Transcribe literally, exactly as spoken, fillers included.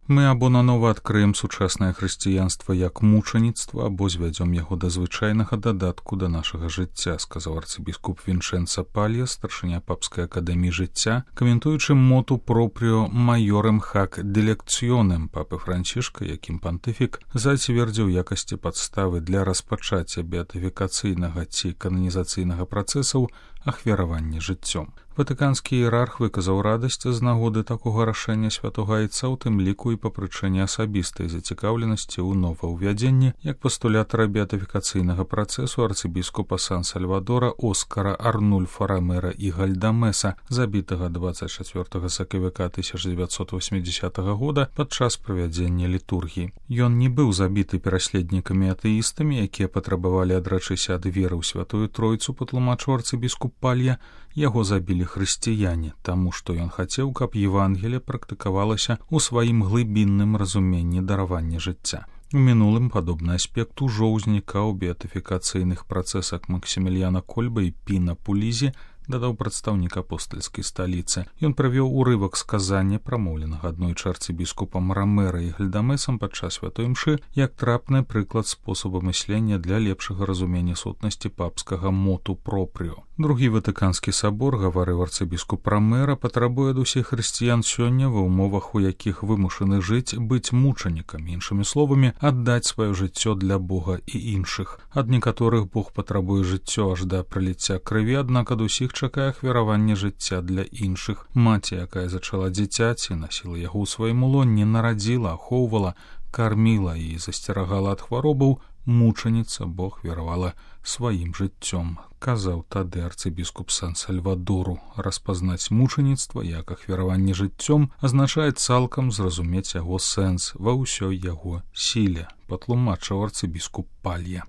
Мы або нанова адкрыем сучаснае хрысціянства як мучаніцтва, або звядзём яго да звычайнага дадатку да нашага жыцця, сказаў арцыбіскуп Вінчэнца Палья, старшыня папскай акадэміі жыцця, каментуючы моту пропріо майорем хак делекцыёнем папы Францішка, якім пантыфік зацвердзіў якасці падставы для распачацця беатыфікацыйнага ці кананізацыйнага працэсаў ахвяравання жыццём. Ватыканскі іерарх выказаў радасць з нагоды такога рашэння святога айца, у тым ліку і па прычыне асабістай зацікаўленасці ў новаўвядзенні як пастулятара беатыфікацыйнага працэсу арцыбіскупа Сан-Сальвадора Оскара Арнульфа Рамера і Гальдамеса, забітага дваццаць чацвёртага сакавіка тысяча дзевяцьсот васьмідзесятага года падчас правядзення літургіі. Ён не быў забіты пераследнікамі атэістамі, якія патрабавалі адрачыся ад веры ў святую тройцу, патлумачыў арцыбіскуп Палья. Яго забілі хрысціяне, таму што ён хацеў, каб Евангелие практыкавалася ў сваім глыбінным разуменні даравання жыцця. У мінулым падобны аспект ужо ўзнікаў у беатыфікацыйных працэсах Максіміліяна Кольба і Піна Пулізі, дадаў прадстаўнік апостальскай сталіцы. Ён правёў урывак сказання, прамоўленага аднойчы арцыбіскупам Рамера і Гальдамесам падчас святой імшы, як трапны прыклад спосабу мыслення для лепшага разумення сутнасці папскага моту пропріо. Другі Ватыканскі сабор, гаварыў арцыбіскуп Рамера, патрабуе ад усіх хрысціян сёння, ва ўмовах, у якіх вымушаны жыць, быць мучанікамі, іншымі словамі, аддаць сваё жыццё для Бога і іншых. Ад некаторых Бог патрабуе жыццё аж да праліцця крыві, аднак ад усіх чакае ахвяравання жыцця для іншых. Маці, якая зачала дзіцяці, насіла яго ў сваім улонні, нарадзіла, ахоўвала, карміла і засцерагала ад хваробаў, мучаніца Бог ахвяравала сваім жыццём, казаў тады арцыбіскуп Сан-Сальвадору. Распазнаць мучаніцтва як ахвяраванне жыццём азначае цалкам зразумець яго сэнс ва ўсёй яго сіле, патлумачыў арцыбіскуп Палья.